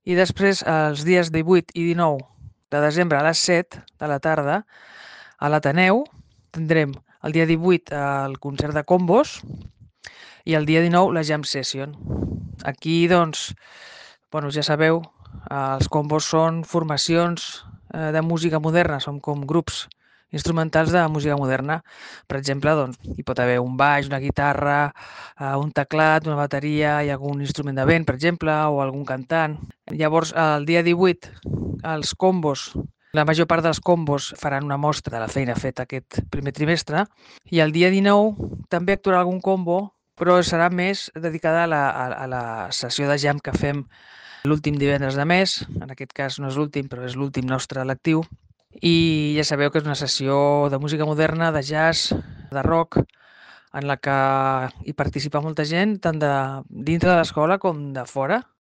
I després, els dies 18 i 19 de desembre a les 7 de la tarda, a l'Ateneu, tindrem el dia 18 el concert de combos i el dia 19 la jam session. Aquí, doncs, bueno, ja sabeu, els combos són formacions de música moderna, són com grups instrumentals de música moderna. Per exemple, doncs, hi pot haver un baix, una guitarra, un teclat, una bateria i algun instrument de vent, per exemple, o algun cantant. Llavors, el dia 18, els combos, la major part dels combos faran una mostra de la feina feta aquest primer trimestre i el dia 19 també actuarà algun combo, però serà més dedicada a la sessió de jam que fem l'últim divendres de mes. En aquest cas no és l'últim, però és l'últim nostre lectiu. I ja sabeu que és una sessió de música moderna, de jazz, de rock, en la que hi participa molta gent, tant de dintre de l'escola com de fora.